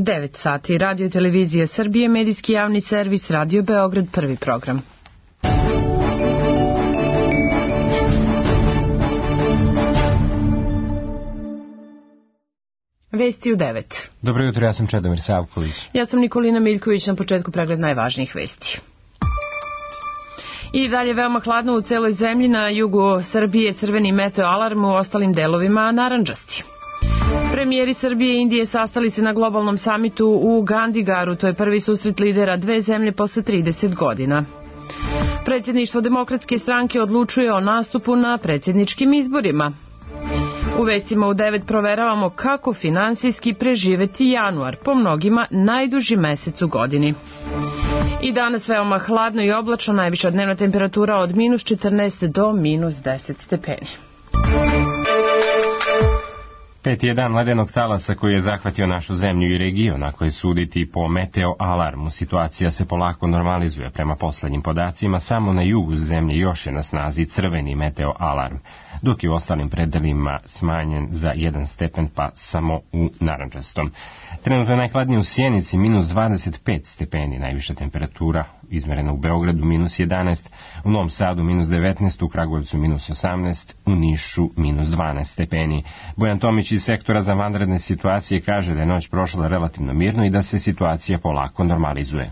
9 sati. Radio i televizija Srbije, medijski javni servis, Radio Beograd, prvi program. Vesti u 9. Dobro jutro, ja sam Čedomir Savković. Ja sam Nikolina Miljković, na početku pregled najvažnijih vesti. I dalje veoma hladno u celoj zemlji, na jugu Srbije crveni meteo alarm, u ostalim delovima narandžasti. Premijeri Srbije i Indije sastali se na globalnom samitu u Gandigaru, to je prvi susret lidera dve zemlje posle 30 godina. Predsjedništvo Demokratske stranke odlučuje o nastupu na predsjedničkim izborima. U vestima u 9 proveravamo kako finansijski preživeti januar, po mnogima najduži mesec u godini. I danas veoma hladno i oblačno, najviša dnevna temperatura od -14 do -10 stepeni. 5. je dan ledenog talasa koji je zahvatio našu zemlju i region, ako je suditi po meteo alarmu. Situacija se polako normalizuje. Prema poslednjim podacima, samo na jugu zemlje još je na snazi crveni meteo alarm, dok je u ostalim predelima smanjen za 1 stepen, pa samo u narandžastom. Trenutno je najhladnije u Sjenici, -25 stepeni, najviša temperatura izmerena u Beogradu -11, u Novom Sadu -19, u Kragujevcu -18, u Nišu -12 stepeni. Bojan Tomić iz sektora za vanredne situacije kaže da je noć prošla relativno mirno i da se situacija polako normalizuje.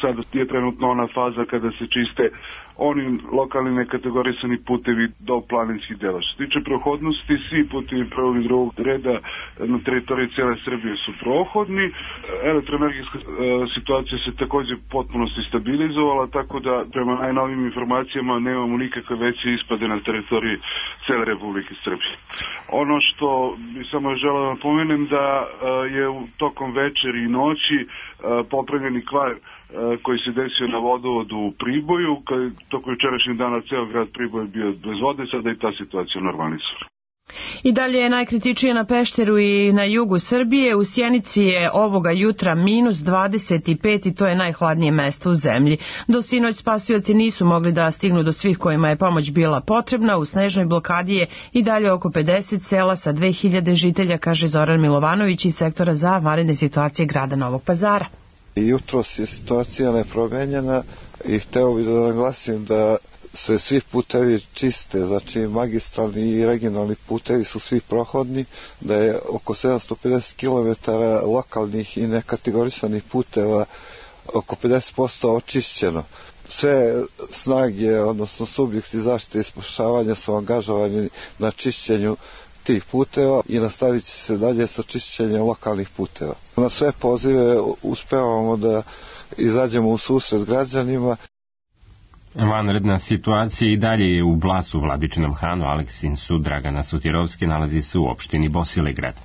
Sada je trenutno ona faza kada se čiste oni lokalni nekategorisani putevi do planinskih dela. Što se tiče prohodnosti, svi putevi prvog i drugog reda na teritoriji cijele Srbije su prohodni. Elektroenergijska situacija se također potpunosti stabilizovala, tako da prema najnovim informacijama nemamo nikakve veće ispade na teritoriji cijele Republike Srbije. Ono što bi samo želeo da napomenem da je tokom večeri i noći popravljeni kvar koji se desio na vodovodu u Priboju, tokom jučerašnjeg dana ceo grad Priboj bio bez vode, sada i ta situacija normalizuje. I dalje je najkritičnije na Pešteru i na jugu Srbije. U Sjenici je ovoga jutra -25 i to je najhladnije mesto u zemlji. Do sinoć spasioci nisu mogli da stignu do svih kojima je pomoć bila potrebna. U snežnoj blokadi je i dalje oko 50 sela sa 2000 žitelja, kaže Zoran Milovanović iz sektora za vanredne situacije grada Novog Pazara. Jutros je situacija nepromenjena i hteo bih da naglasim da se svi putevi čiste, znači magistralni i regionalni putevi su svi prohodni, da je oko 750 km lokalnih i nekategorisanih puteva oko 50% očišćeno. Sve snage, odnosno subjekti zaštite i spašavanja su angažovani na čišćenju tih puteva i nastavit će se dalje sa čišćenjem lokalnih puteva. Na sve pozive uspevamo da izađemo u susret građanima. Vanredna situacija i dalje je u Blacu, Vladičinom Hanu, Aleksincu, Dragana Sutirovski, nalazi se u opštini Bosilegrad.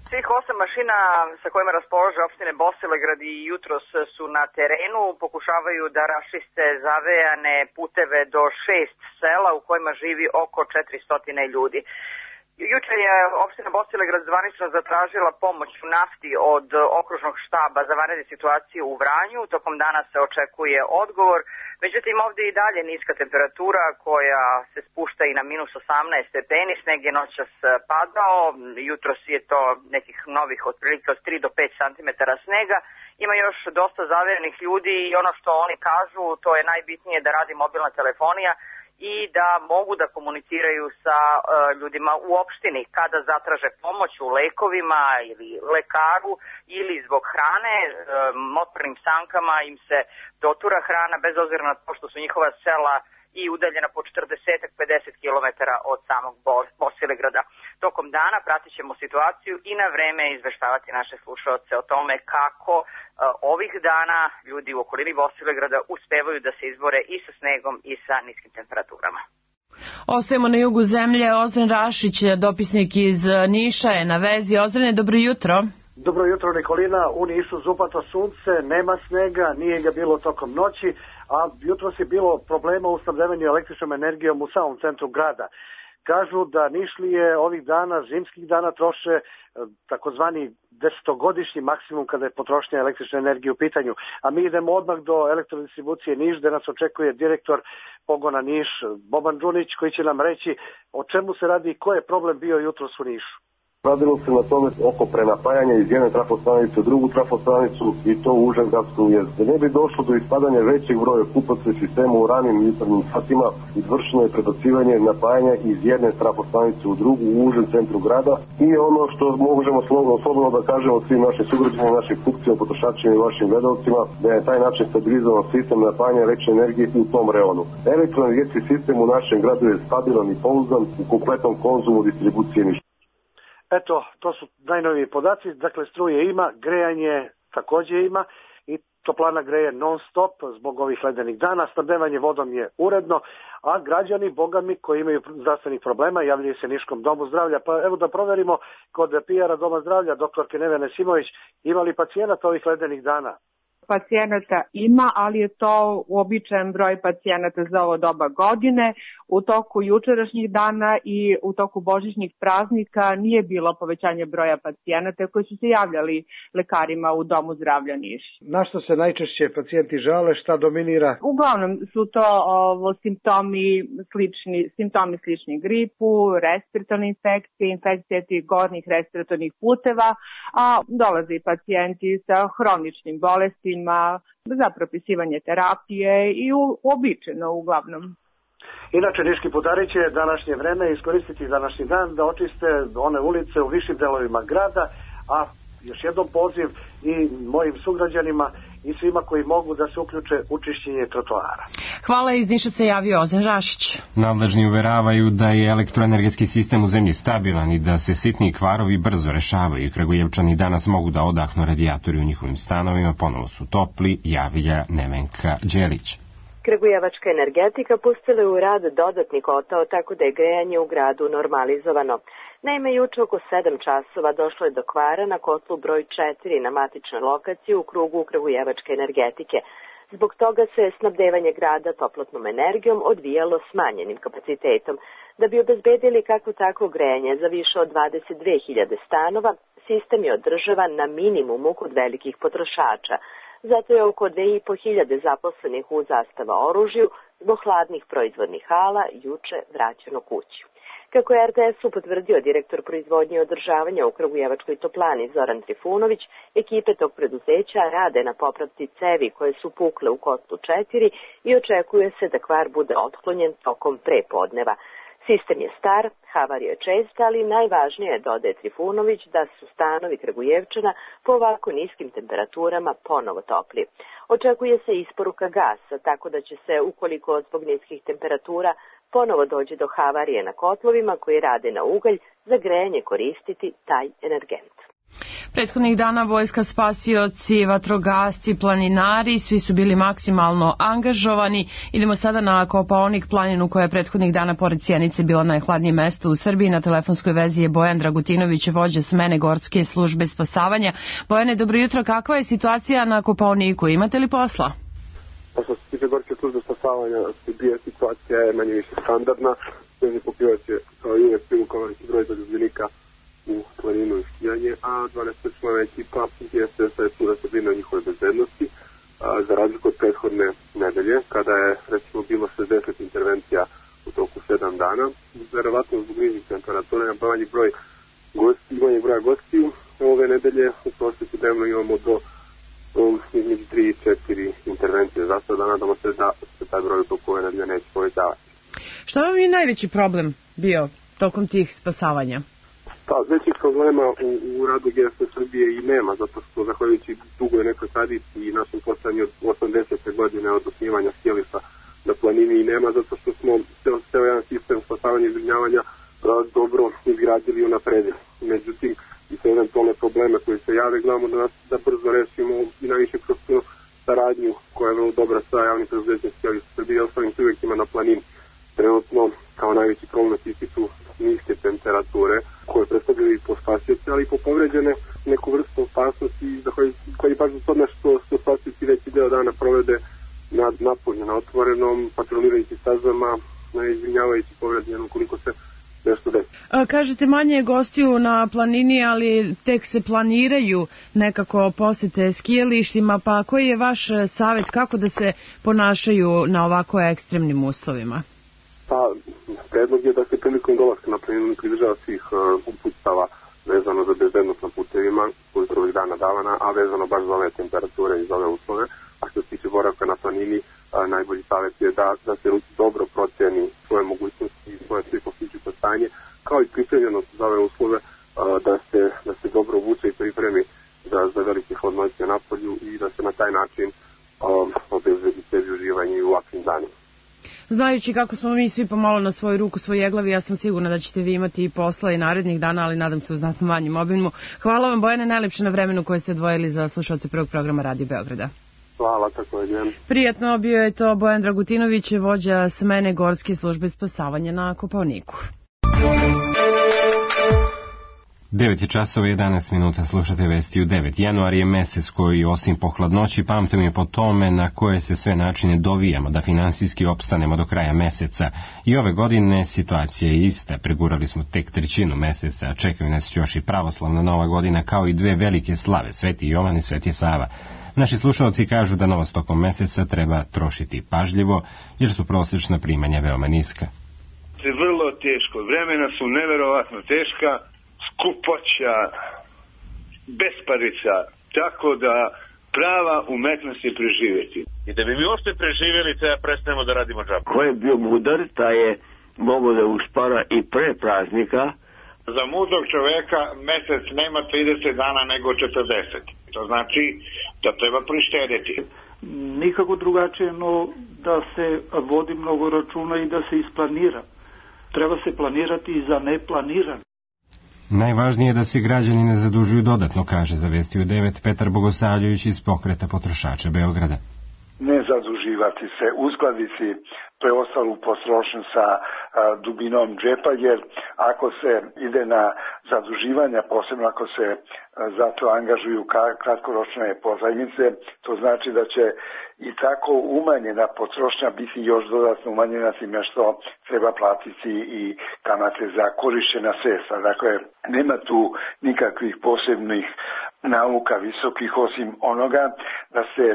Svih 8 mašina sa kojima raspolaže opštine Bosilegrad i jutros su na terenu, pokušavaju da raščiste zavejane puteve do 6 sela u kojima živi oko 400 ljudi. Juče je opština Bosilegrad zvanično zatražila pomoć u nafti od okružnog štaba za vanredne situacije u Vranju. Tokom dana se očekuje odgovor. Međutim, ovdje i dalje niska temperatura koja se spušta i na -18 stepeni. Sneg je noćas padao. Jutros je to nekih novih otprilike od 3 do 5 cm snega. Ima još dosta zavejanih ljudi i ono što oni kažu, to je najbitnije da radi mobilna telefonija i da mogu da komuniciraju sa ljudima u opštini kada zatraže pomoć u lekovima ili lekaru ili zbog hrane. Motornim sankama im se dotura hrana bez obzira na to što su njihova sela i udaljena po 40-50 km od samog Bosilegrada. Tokom dana pratit ćemo situaciju i na vreme izveštavati naše slušaoce o tome kako ovih dana ljudi u okolini Bosilegrada uspevaju da se izbore i sa snegom i sa niskim temperaturama. Ostajemo na jugu zemlje. Ozren Rašić, dopisnik iz Niša, je na vezi. Ozrene, dobro jutro. Dobro jutro, Nikolina. U Nišu zupato sunce, nema snega, nije ga bilo tokom noći, a jutros je bilo problema u snabdevanju električnom energijom u samom centru grada. Kažu da Nišlije ovih dana, zimskih dana, troše takozvani 10-godišnji maksimum kada je potrošnja električne energije u pitanju. A mi idemo odmah do elektrodistribucije Niš, gde nas očekuje direktor pogona Niš, Boban Đunić, koji će nam reći o čemu se radi i ko je problem bio jutros u Nišu. Radilo se na tome oko prenapajanja iz jedne trafostanice u drugu trafostanicu i to u užem gradskom jezdu. Da ne bi došlo do ispadanja većeg broja kupaca u sistemu u ranim jutarnjim satima, izvršeno je prebacivanje napajanja iz jedne trafostanice u drugu u užem centru grada i ono što možemo slobodno da kažemo svim našim sugrađanima, našim kupcima, potrošačima i vašim gledalcima, da je taj način stabilizovan sistem napajanja električne energije u tom reonu. Elektroenergetski sistem u našem gradu je stabilan i pouzdan u kompletnom konzumu distribucije ništa. Eto, to su najnoviji podaci, dakle struje ima, grejanje također ima i toplana greje non stop zbog ovih ledenih dana, snabdevanje vodom je uredno, a građani, bogami koji imaju zdravstvenih problema, javljaju se Niškom domu zdravlja, pa evo da proverimo kod PR-a Doma zdravlja, doktorke Nevene Simović, ima li pacijenata ovih ledenih dana? Pacijenata ima, ali je to uobičajen broj pacijenata za ovo doba godine. U toku jučerašnjih dana i u toku božićnih praznika nije bilo povećanje broja pacijenata koji su se javljali lekarima u Domu zdravlja Niš. Na što se najčešće pacijenti žale, šta dominira? Uglavnom su to simptomi slični gripu, respiratorne infekcije, infekcije tih gornjih respiratornih puteva, a dolaze i pacijenti sa hroničnim bolestima za propisivanje terapije i uobičajeno uglavnom. Inače, niški putari će današnje vreme iskoristiti današnji dan da očiste one ulice u višim delovima grada, a još jednom poziv i mojim sugrađanima i svima koji mogu da se uključe u čišćenje trotoara. Hvala, iz Niša se javio Ozan Rašić. Nadležni uveravaju da je elektroenergetski sistem u zemlji stabilan i da se sitni kvarovi brzo rešavaju. Kragujevčani danas mogu da odahnu radijatori u njihovim stanovima, ponovo su topli, javlja Nevenka Đelić. Kragujevačka energetika pustila je u rad dodatni kotao, tako da je grejanje u gradu normalizovano. Naime, juče oko 7 časova došlo je do kvara na kotlu broj 4 na matičnoj lokaciji u krugu Kragujevačke energetike. Zbog toga se snabdevanje grada toplotnom energijom odvijalo smanjenim kapacitetom. Da bi obezbedili kakvo takvo grejanje za više od 22.000 stanova, sistem je održavan na minimumu kod velikih potrošača. Zato je oko 2.500 zaposlenih u Zastava oružju zbog hladnih proizvodnih hala juče vraćeno kući. Kako je RTS-u potvrdio direktor proizvodnje i održavanja u Kragujevačkoj toplani Zoran Trifunović, ekipe tog preduzeća rade na popravci cevi koje su pukle u kotlu 4 i očekuje se da kvar bude otklonjen tokom prepodneva. Sistem je star, havarija je česta, ali najvažnije je, dodaje Trifunović, da su stanovi Kragujevčana po ovako niskim temperaturama ponovo topli. Očekuje se isporuka gasa, tako da će se, ukoliko zbog niskih temperatura ponovo dođe do havarije na kotlovima koji rade na ugalj, za grejanje koristiti taj energent. Prethodnih dana vojska, spasioci, vatrogasci, planinari, svi su bili maksimalno angažovani. Idemo sada na Kopaonik planinu koja je prethodnih dana pored Sjenice bila najhladnije mesto u Srbiji. Na telefonskoj vezi je Bojan Dragutinović, vođa smene Gorske službe spasavanja. Bojane, dobro jutro, kakva je situacija na Kopaoniku? Imate li posla? Pa što se tiče Gorske službe spasavanja, situacija je manje više standardna. Sve pokrivač je kao i uvek privukovan broj zaljubljenika u planinu i skijanje, a 12-člana ekipa GSS-a je tu da se brine o njihove bezbednosti, za razliku od prethodne nedelje, kada je recimo bilo 60 intervencija u toku 7 dana. Verovatno zbog nižih temperatura i manjeg broja gostiju, ove nedelje u prosjeku dnevno imamo do između 3 i 4 intervencije za sada, nadamo se da se taj broj u toku ove nedelje neće povećavati. Šta vam je najveći problem bio tokom tih spasavanja? Pa, većih problema u radu GSS Srbije i nema, zato što zahvaljujući dugoj nekoj tradiciji i našem postojanju od 80. godine od osnivanja skijališta na planini i nema, zato što smo ceo jedan sistem spasavanja i zbrinjavanja dobro izgradili i unapredili. Međutim, i sve eventualne probleme koji se jave, gledamo da brzo rešimo i najviše kroz tu saradnju koja je vrlo dobra sa javnim preduzećem skijališta Srbije i ostalim subjektima na planini. Trenutno, kao najveći problem su niske temperature koje predstavljaju i po spasioci, ali i po povređene neku vrstu opasnosti koji baš zbog toga što spasioci veći deo dana provede napolju, na otvorenom, patrolirajući stazama, izvinjavajući povređenom koliko se nešto desi. Kažete manje je gostiju na planini, ali tek se planiraju nekako posete skijalištima, pa koji je vaš savjet kako da se ponašaju na ovako ekstremnim uslovima? Pa, predlog je da se prilikom dolaska na planinu pridržava svih uputstava vezano za bezbednost na putevima koji su ovih dana davana, a vezano baš za ove temperature i za ove uslove. A što se tiče boravka na planini, najbolji savjet je da se dobro proceni svoje mogućnosti i svoje psihofizičko stanje, kao i pripremljenost za ove uslove, da se dobro obuče i pripremi za velike hladnoće na polju i da se na taj način obezbedi sebi uživanje i u ovakvim danima. Znajući kako smo mi svi pomalo na svoju ruku, svoj jeglavi, ja sam sigurna da ćete vi imati i posla i narednih dana, ali nadam se u znatno manjem obimu. Hvala vam, Bojane, najlepše na vremenu koje ste odvojili za slušalce prvog programa Radio Beograda. Hvala, također. Prijatno, bio je to Bojan Dragutinović, vođa smene Gorske službe spasavanja na Kopaoniku. 9 je časova 11 minuta, slušate vesti u 9. Januar je mesec koji, osim po hladnoći, pamtimo je po tome na koje se sve načine dovijamo da finansijski opstanemo do kraja meseca. I ove godine situacija je ista, pregurali smo tek trećinu meseca, a čekaju nas još i pravoslavna Nova godina, kao i dve velike slave, Sveti Jovan i Sveti Sava. Naši slušalci kažu da novac tokom meseca treba trošiti pažljivo, jer su prosječna primanja veoma niska. Vrlo teško, vremena su neverovatno teška, skupoća, besparica, tako da prava umetnost je preživjeti. I da bi mi uopšte preživjeli, treba prestanemo da radimo džabe. Ko je bio mudar, taj je mogao da uspara i pre praznika. Za mudrog čoveka mesec nema 30 dana nego 40. To znači da treba prištediti. Nikako drugačije, no da se vodi mnogo računa i da se isplanira. Treba se planirati i za neplanirano. Najvažnije je da se građani ne zadužuju dodatno, kaže za Vesti u 9 Petar Bogosavljević iz Pokreta potrošača Beograda. Ne zaduživati se, uskladiti preostalu potrošnju sa dubinom džepa, jer ako se ide na zaduživanja, posebno ako se zato angažuju kratkoročne pozajmice, to znači da će i tako umanjena potrošnja biti još dodatno umanjena time što treba platiti i kamate za korišćena sredstva. Dakle, nema tu nikakvih posebnih nauka visokih osim onoga da se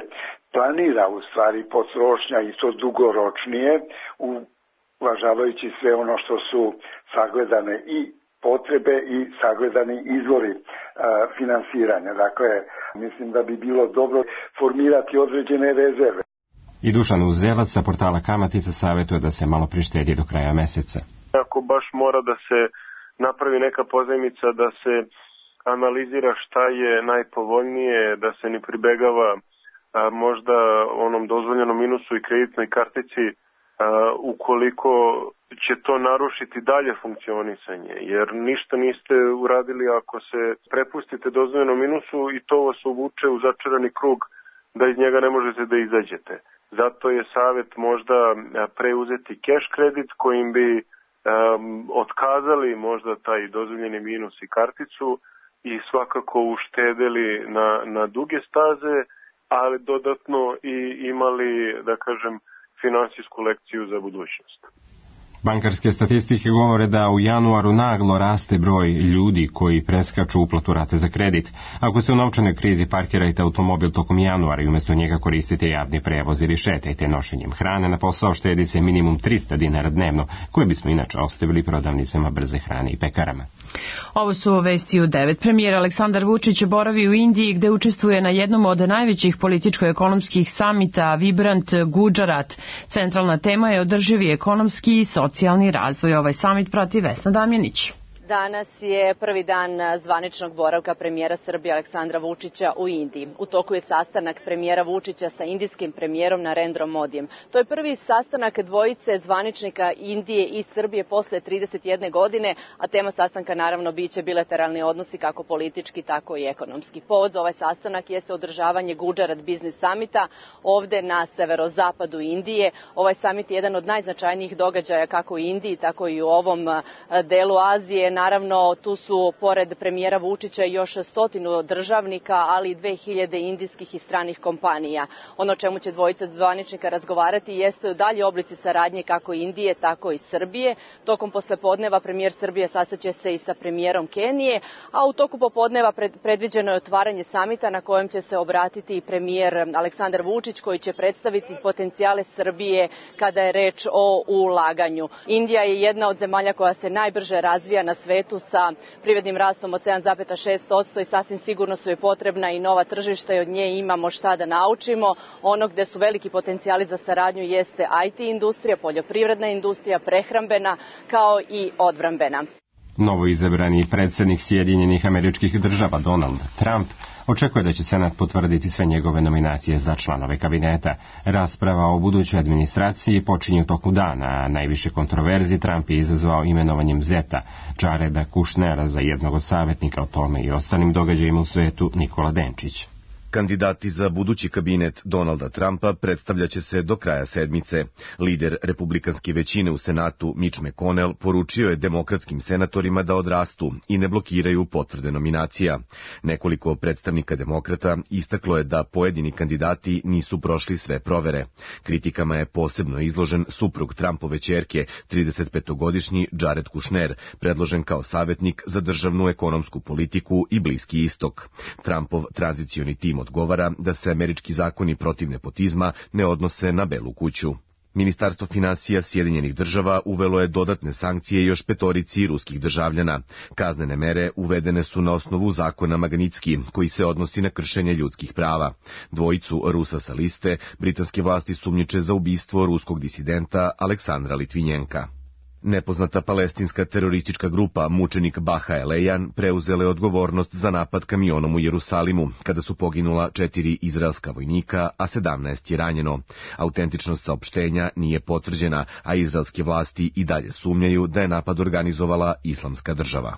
planira u stvari potrošnja i to dugoročnije, uvažavajući sve ono što su sagledane i potrebe i sagledani izvori finansiranja. Dakle, mislim da bi bilo dobro formirati određene rezerve. I Dušan Uzelac sa portala Kamatica savjetuje da se malo prištedi do kraja meseca. Ako baš mora da se napravi neka pozajmica, da se analizira šta je najpovoljnije, da se ne pribegava možda onom dozvoljenom minusu i kreditnoj kartici ukoliko će to narušiti dalje funkcionisanje, jer ništa niste uradili ako se prepustite dozvoljenom minusu i to vas uvuče u začarani krug da iz njega ne možete da izađete. Zato je savjet možda preuzeti cash kredit kojim bi otkazali možda taj dozvoljeni minus i karticu i svakako uštedeli na duge staze, ali dodatno i imali, da kažem, finansijsku lekciju za budućnost. Bankarske statistike govore da u januaru naglo raste broj ljudi koji preskaču uplatu rate za kredit. Ako ste u novčanoj krizi, parkirajte automobil tokom januara i umjesto njega koristite javni prevoz ili šetajte nošenjem hrane na posao, štedice minimum 300 dinara dnevno, koje bismo inače ostavili prodavnicama brze hrane i pekarama. Ovo su Vesti u 9. Premijer Aleksandar Vučić boravi u Indiji gde učestvuje na jednom od najvećih političko-ekonomskih samita Vibrant Gujarat. Centralna tema je održivi ekonomski i socijalni razvoj. Ovaj samit prati Vesna Damjanić. Danas je prvi dan zvaničnog boravka premijera Srbije Aleksandra Vučića u Indiji. U toku je sastanak premijera Vučića sa indijskim premijerom Narendrom Modijem. To je prvi sastanak dvojice zvaničnika Indije i Srbije posle 31 godine, a tema sastanka naravno biće bilateralni odnosi kako politički, tako i ekonomski. Povod za ovaj sastanak jeste održavanje Gujarat Business Summita ovde na severozapadu Indije. Ovaj summit je jedan od najznačajnijih događaja kako u Indiji, tako i u ovom delu Azije. Naravno, tu su pored premijera Vučića još 100 državnika, ali i 2000 indijskih i stranih kompanija. Ono čemu će dvojica zvaničnika razgovarati jeste dalje oblici saradnje kako Indije, tako i Srbije. Tokom poslepodneva premijer Srbije sastaće se i sa premijerom Kenije, a u toku popodneva predviđeno je otvaranje samita na kojem će se obratiti i premijer Aleksandar Vučić, koji će predstaviti potencijale Srbije kada je reč o ulaganju. Indija je jedna od zemalja koja se najbrže razvija na svetu sa privrednim rastom od 7,6% i sasvim sigurno su joj potrebna i nova tržišta i od nje imamo šta da naučimo. Ono gde su veliki potencijali za saradnju jeste IT industrija, poljoprivredna industrija, prehrambena kao i odbrambena. Novoizabrani predsjednik Sjedinjenih Američkih Država Donald Trump očekuje da će Senat potvrditi sve njegove nominacije za članove kabineta. Rasprava o budućoj administraciji počinje u toku dana, a najviše kontroverzi Trump je izazvao imenovanjem zeta Jareda Kushnera za jednog od savjetnika. O tome i ostalim događajima u svetu Nikola Denčić. Kandidati za budući kabinet Donalda Trumpa predstavljaće se do kraja sedmice. Lider republikanske većine u Senatu Mitch McConnell poručio je demokratskim senatorima da odrastu i ne blokiraju potvrde nominacija. Nekoliko predstavnika demokrata istaklo je da pojedini kandidati nisu prošli sve provere. Kritikama je posebno izložen suprug Trumpove ćerke, 35-godišnji Jared Kushner, predložen kao savjetnik za državnu ekonomsku politiku i Bliski istok. Trumpov tranzicioni tim odgovara da se američki zakoni protiv nepotizma ne odnose na Belu kuću. Ministarstvo finansija Sjedinjenih Država uvelo je dodatne sankcije još 5 ruskih državljana. Kaznene mere uvedene su na osnovu zakona Magnitski, koji se odnosi na kršenje ljudskih prava. 2 Rusa sa liste britanske vlasti sumnjiče za ubistvo ruskog disidenta Aleksandra Litvinjenka. Nepoznata palestinska teroristička grupa Mučenik Baha Elejan preuzela je odgovornost za napad kamionom u Jerusalimu, kada su poginula 4 izraelska vojnika, a 17 je ranjeno. Autentičnost saopštenja nije potvrđena, a izraelske vlasti i dalje sumnjaju da je napad organizovala Islamska država.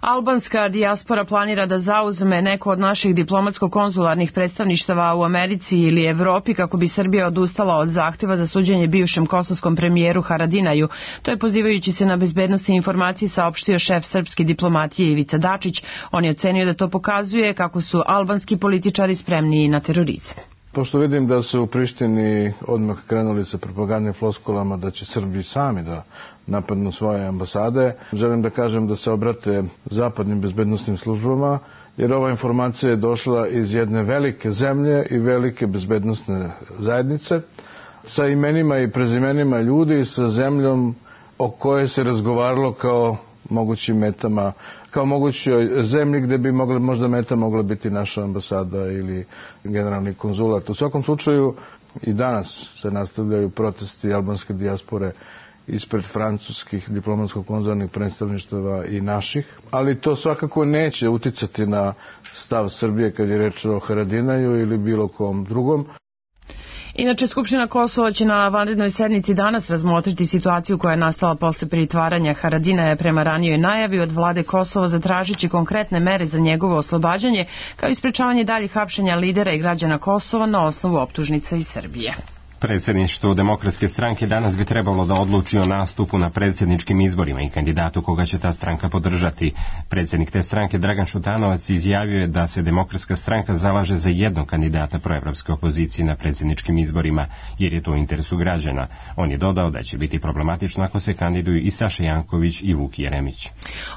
Albanska dijaspora planira da zauzme neko od naših diplomatsko-konzularnih predstavništava u Americi ili Evropi kako bi Srbija odustala od zahteva za suđenje bivšem kosovskom premijeru Haradinaju. To je pozivajući se na bezbednosti informacije saopštio šef srpske diplomatije Ivica Dačić. On je ocenio da to pokazuje kako su albanski političari spremniji na terorizam. Pošto vidim da su u Prištini odmah krenuli sa propagandnim floskulama da će Srbi sami da napadnu svoje ambasade, želim da kažem da se obrate zapadnim bezbednostnim službama, jer ova informacija je došla iz jedne velike zemlje i velike bezbednostne zajednice, sa imenima i prezimenima ljudi, sa zemljom o kojoj se razgovaralo kao mogućim metama, kao mogućoj zemlji gde bi možda meta mogla biti naša ambasada ili generalni konzulat. U svakom slučaju i danas se nastavljaju protesti albanske dijaspore ispred francuskih diplomatsko-konzularnih predstavništava i naših, ali to svakako neće uticati na stav Srbije kad je reč o Haradinaju ili bilo kom drugom. Inače, Skupština Kosova će na vanrednoj sednici danas razmotriti situaciju koja je nastala posle pritvaranja Haradinaja prema ranijoj najavi od vlade Kosova, zatražići konkretne mere za njegovo oslobađanje, kao i sprečavanje daljih hapšenja lidera i građana Kosova na osnovu optužnica iz Srbije. Predsjedništvo Demokratske stranke danas bi trebalo da odluči o nastupu na predsjedničkim izborima i kandidatu koga će ta stranka podržati. Predsjednik te stranke Dragan Šutanovac izjavio je da se Demokratska stranka zalaže za jednog kandidata proevropske opozicije na predsjedničkim izborima, jer je to u interesu građana. On je dodao da će biti problematično ako se kandiduju i Saša Janković i Vuk Jeremić.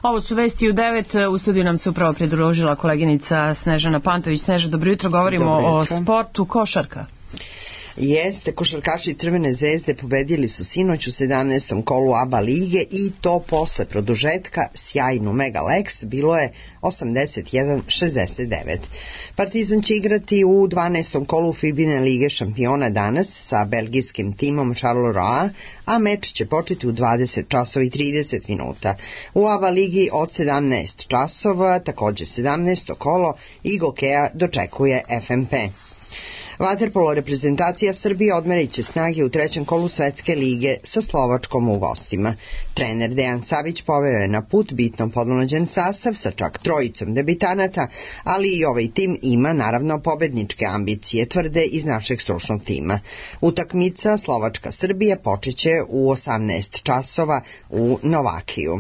Ovo su vesti u 9. U studiju nam se upravo pridružila koleginica Snežana Pantović. Sneža, dobro jutro. Govorimo o sportu. Košarka. Jeste, košarkaši Crvene zvezde pobedili su sinoć u 17. kolu ABA lige i to posle produžetka sjajnu Mega Lex, bilo je 81-69. Partizan će igrati u 12. kolu Fibine lige šampiona danas sa belgijskim timom Charleroi, a meč će početi u 20 časova i 30 minuta. U ABA ligi od 17 časova, također 17. kolo, Igokeja dočekuje FMP. Vaterpolo reprezentacija Srbije odmerit će snage u 3. kolu Svetske lige sa Slovačkom u gostima. Trener Dejan Savić poveo je na put bitno podmlađen sastav sa čak 3 debitanata, ali i ovaj tim ima naravno pobedničke ambicije, tvrde iz našeg stručnog tima. Utakmica Slovačka-Srbija počeće u 18 časova u Novakiju.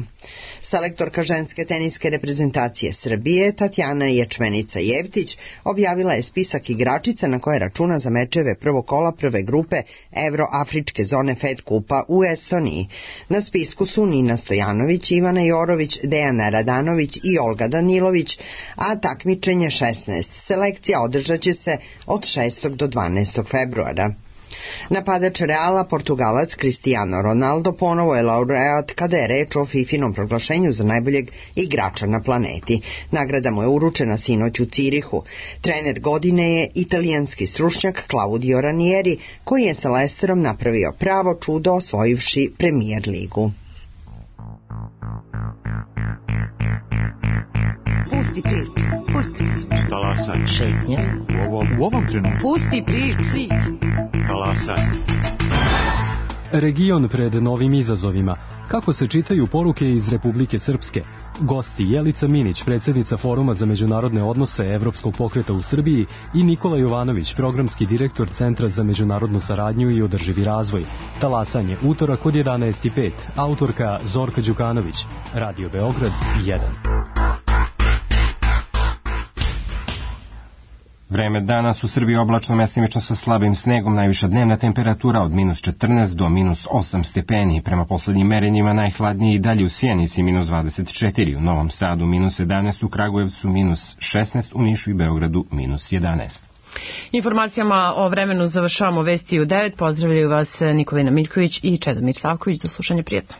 Selektorka ženske teniske reprezentacije Srbije Tatjana Ječmenica-Jevtić objavila je spisak igračica na koje računa za mečeve prvog kola prve grupe Evroafričke zone Fed kupa u Estoniji. Na spisku su Nina Stojanović, Ivana Jorović, Dejana Radanović i Olga Danilović, a takmičenje 16 selekcija održat će se od 6. do 12. februara. Napadač Reala, Portugalac Cristiano Ronaldo, ponovo je laureat kada je reč o FIFInom proglašenju za najboljeg igrača na planeti. Nagrada mu je uručena sinoć u Cirihu. Trener godine je italijanski stručnjak Claudio Ranieri, koji je sa Leicesterom napravio pravo čudo osvojivši Premier ligu. Pusti priču. Talasaj. Šetnja. U ovom trenutku. Pusti priču. Talasaj. Region pred novim izazovima. Kako se čitaju poruke iz Republike Srpske? Gosti Jelica Minić, predsjednica Foruma za međunarodne odnose Evropskog pokreta u Srbiji, i Nikola Jovanović, programski direktor Centra za međunarodnu saradnju i održivi razvoj. Talasanje, utorak od 11:05. Autorka Zorka Đukanović. Radio Beograd 1. Vreme danas u Srbiji oblačno, mestimično sa slabim snegom, najviša dnevna temperatura od -14 do -8 stepeni. Prema poslednjim merenjima najhladnije i dalje u Sjenici -24, u Novom Sadu -11, u Kragujevcu -16, u Nišu i Beogradu -11. Informacijama o vremenu završavamo vesti u 9. Pozdravljaju vas Nikolina Miljković i Čedomir Savković. Do slušanja, prijetno.